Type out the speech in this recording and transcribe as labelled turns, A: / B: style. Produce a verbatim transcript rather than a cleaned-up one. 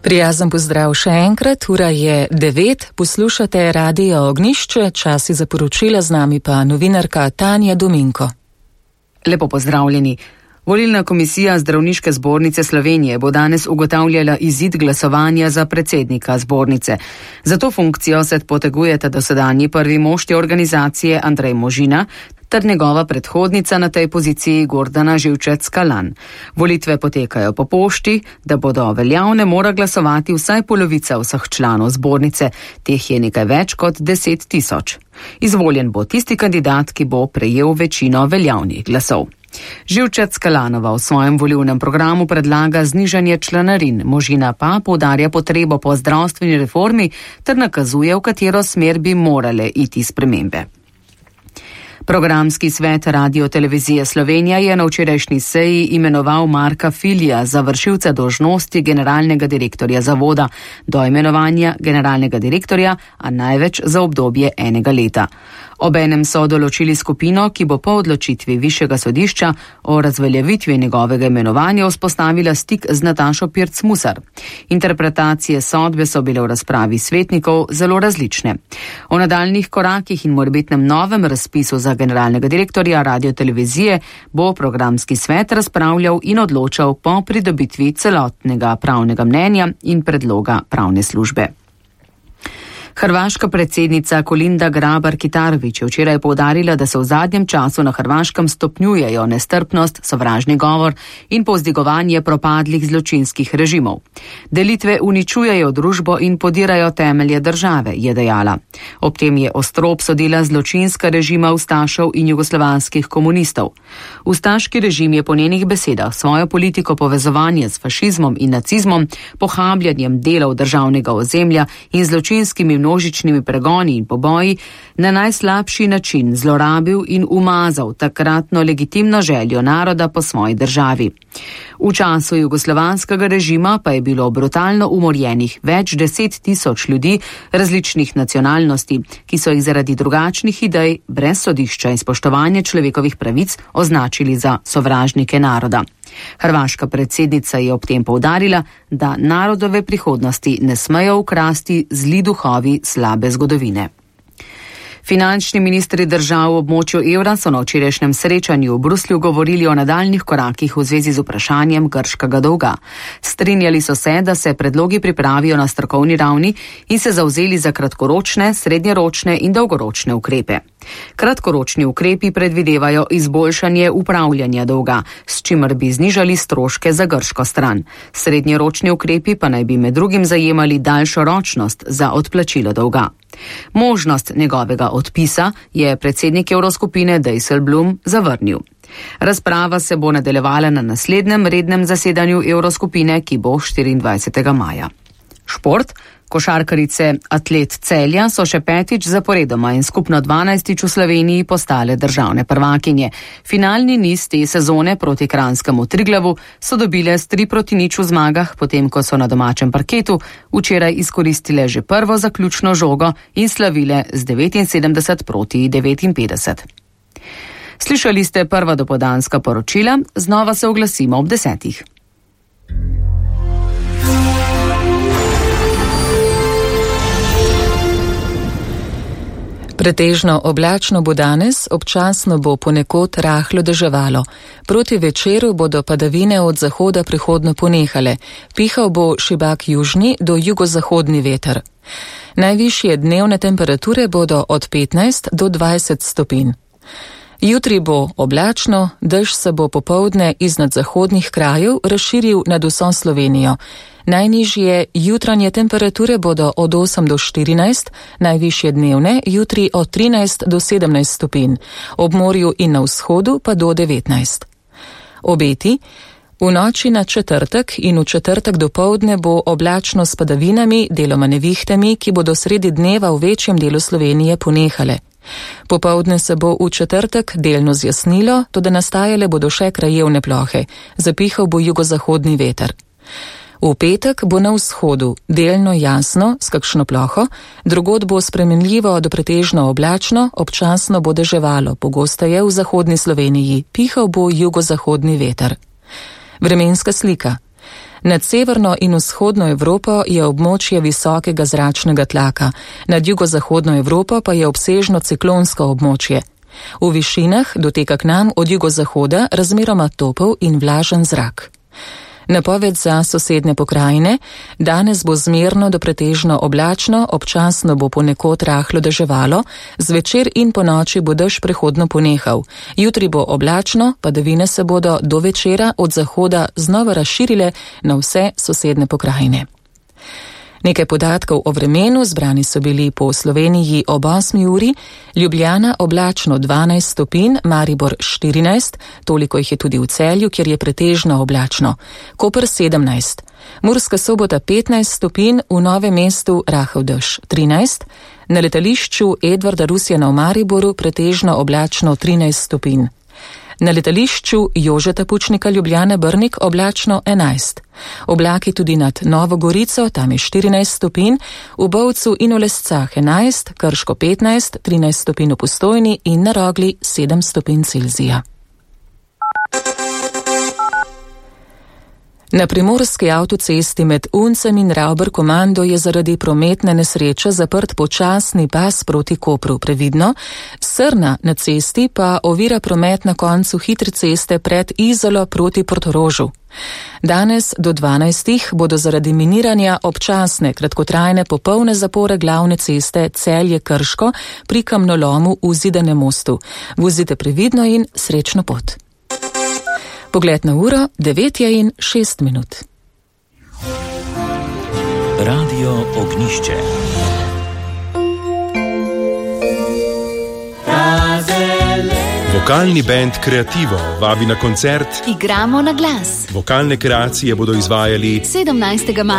A: Prijazen pozdrav še enkrat, ura je devet, poslušate Radio Ognjišče, časi za poročila, z nami pa novinarka Tanja Dominko.
B: Lepo pozdravljeni. Volilna komisija Zdravniške zbornice Slovenije bo danes ugotavljala izid glasovanja za predsednika zbornice. Za to funkcijo se potegujeta dosedanji prvi mož te organizacije Andrej Možina ter njegova predhodnica na tej poziciji Gordana Živčec-Kalan. Volitve potekajo po pošti, da bodo veljavne mora glasovati vsaj polovica vseh članov zbornice, teh je nekaj več kot deset tisoč. Izvoljen bo tisti kandidat, ki bo prejel večino veljavnih glasov. Živčec-Kalanova v svojem volilnem programu predlaga znižanje članarin, Možina pa poudarja potrebo po zdravstveni reformi ter nakazuje, v katero smer bi morale iti spremembe. Programski svet Radio-televizije Slovenija je na včerajšnji seji imenoval Marka Filija za vršilca dolžnosti generalnega direktorja zavoda do imenovanja generalnega direktorja, a največ za obdobje enega leta. Obenem so določili skupino, ki bo po odločitvi Višjega sodišča o razveljavitvi njegovega imenovanja vzpostavila stik z Natašo Pirc-Musar. Interpretacije sodbe so bile v razpravi svetnikov zelo različne. O nadaljnih korakih in morebitnem novem razpisu za generalnega direktorja Radio-televizije bo programski svet razpravljal in odločal po pridobitvi celotnega pravnega mnenja in predloga pravne službe. Hrvaška predsednica Kolinda Grabar-Kitarović je včeraj poudarila, da se v zadnjem času na Hrvaškem stopnjujejo nestrpnost, sovražni govor in povzdigovanje propadlih zločinskih režimov. Delitve uničujejo družbo in podirajo temelje države, je dejala. Ob tem je ostro obsodila zločinska režima ustašev in jugoslovanskih komunistov. Ustaški režim je po njenih besedah svojo politiko povezovanja s fašizmom in nacizmom, pohabljanjem delov državnega ozemlja in zločinskimi množičnimi pregoni in poboji na najslabši način zlorabil in umazal takratno legitimno željo naroda po svoji državi. V času jugoslovanskega režima pa je bilo brutalno umorjenih več deset tisoč ljudi različnih nacionalnosti, ki so jih zaradi drugačnih idej brez sodišča in spoštovanja človekovih pravic označili za sovražnike naroda. Hrvaška predsednica je ob tem poudarila, da narodove prihodnosti ne smejo ukrasti zli duhovi slabe zgodovine. Finančni ministri držav v območju evra so na včerajšnjem srečanju v Bruslju govorili o nadaljnih korakih v zvezi z vprašanjem grškega dolga. Strinjali so se, da se predlogi pripravijo na strokovni ravni in se zavzeli za kratkoročne, srednjeročne in dolgoročne ukrepe. Kratkoročni ukrepi predvidevajo izboljšanje upravljanja dolga, s čimer bi znižali stroške za grško stran. Srednjeročni ukrepi pa naj bi med drugim zajemali daljšo ročnost za odplačilo dolga. Možnost njegovega odpisa je predsednik Evroskupine Dijsselbloem zavrnil. Razprava se bo nadaljevala na naslednjem rednem zasedanju Evroskupine, ki bo štiriindvajsetega maja. Šport. Košarkarice Atlet Celja so še petič zaporedoma in skupno dvanajstič v Sloveniji postale državne prvakinje. Finalni niz te sezone proti kranjskemu Triglavu so dobile s tri proti nič v zmagah, potem ko so na domačem parketu včeraj izkoristile že prvo zaključno žogo in slavile z devetinsedemdeset proti devetinpetdeset. Slišali ste prva dopoldanska poročila, znova se oglasimo ob desetih.
A: Pretežno oblačno bo danes, občasno bo ponekod rahlo deževalo. Proti večeru bodo padavine od zahoda prihodno ponehale. Pihal bo šibak južni do jugozahodni veter. Najvišje dnevne temperature bodo od petnajst do dvajset stopinj. Jutri bo oblačno, dež se bo popoldne iznad zahodnih krajev razširil nad vso Slovenijo. Najnižje jutranje temperature bodo od osem do štirinajst, najvišje dnevne jutri od trinajst do sedemnajst stopinj, ob morju in na vzhodu pa do devetnajst. Obeti. V noči na četrtek in v četrtek dopoldne bo oblačno s padavinami, deloma nevihtami, ki bodo sredi dneva v večjem delu Slovenije ponehale. Popoldne se bo v četrtek delno zjasnilo, toda nastajale bodo še krajevne plohe. Zapihal bo jugozahodni veter. V petek bo na vzhodu delno jasno s kakšno ploho, drugod bo spremenljivo do pretežno oblačno, občasno bo deževalo, pogosteje v zahodni Sloveniji, pihal bo jugozahodni veter. Vremenska slika. Nad severno in vzhodno Evropo je območje visokega zračnega tlaka, nad jugozahodno Evropo pa je obsežno ciklonsko območje. V višinah doteka k nam od jugozahoda razmeroma topel in vlažen zrak. Napoved za sosednje pokrajine: danes bo zmerno do pretežno oblačno, občasno bo ponekod rahlo deževalo, zvečer in ponoči bo dež prehodno ponehal. Jutri bo oblačno, padavine se bodo do večera od zahoda znova razširile na vse sosednje pokrajine. Nekaj podatkov o vremenu zbrani so bili po Sloveniji ob osmi uri: Ljubljana oblačno dvanajst stopinj, Maribor štirinajst, toliko jih je tudi v Celju, kjer je pretežno oblačno, Koper sedemnajst, Murska Sobota petnajst stopinj, v Novem mestu rahel dež trinajst, na letališču Edvarda Rusjana v Mariboru pretežno oblačno trinajst stopinj. Na letališču Jožeta Pučnika Ljubljana Brnik oblačno enajst. Oblaki tudi nad Novo Gorico, tam je štirinajst stopinj, v Bovcu in v Lescah enajst, Krško petnajst, trinajst stopinj v Postojni in na Rogli sedem stopinj Celzija. Na primorski avtocesti med Uncem in Ravber-Komando je zaradi prometne nesreče zaprt počasni pas proti Kopru. Previdno, Srna na cesti pa ovira promet na koncu hitre ceste pred Izolo proti Portorožu. Danes do dvanajstih bodo zaradi miniranja občasne kratkotrajne popolne zapore glavne ceste Celje-Krško pri kamnolomu v Zidanem mostu. Vozite previdno in srečno pot. Pogled na uro, devet je in šest minut.
C: Radio Ognjišče.
D: Vokalni bend Kreativo vabi na koncert
E: Igramo na glas.
D: Vokalne kreacije bodo izvajali
E: sedemnajstega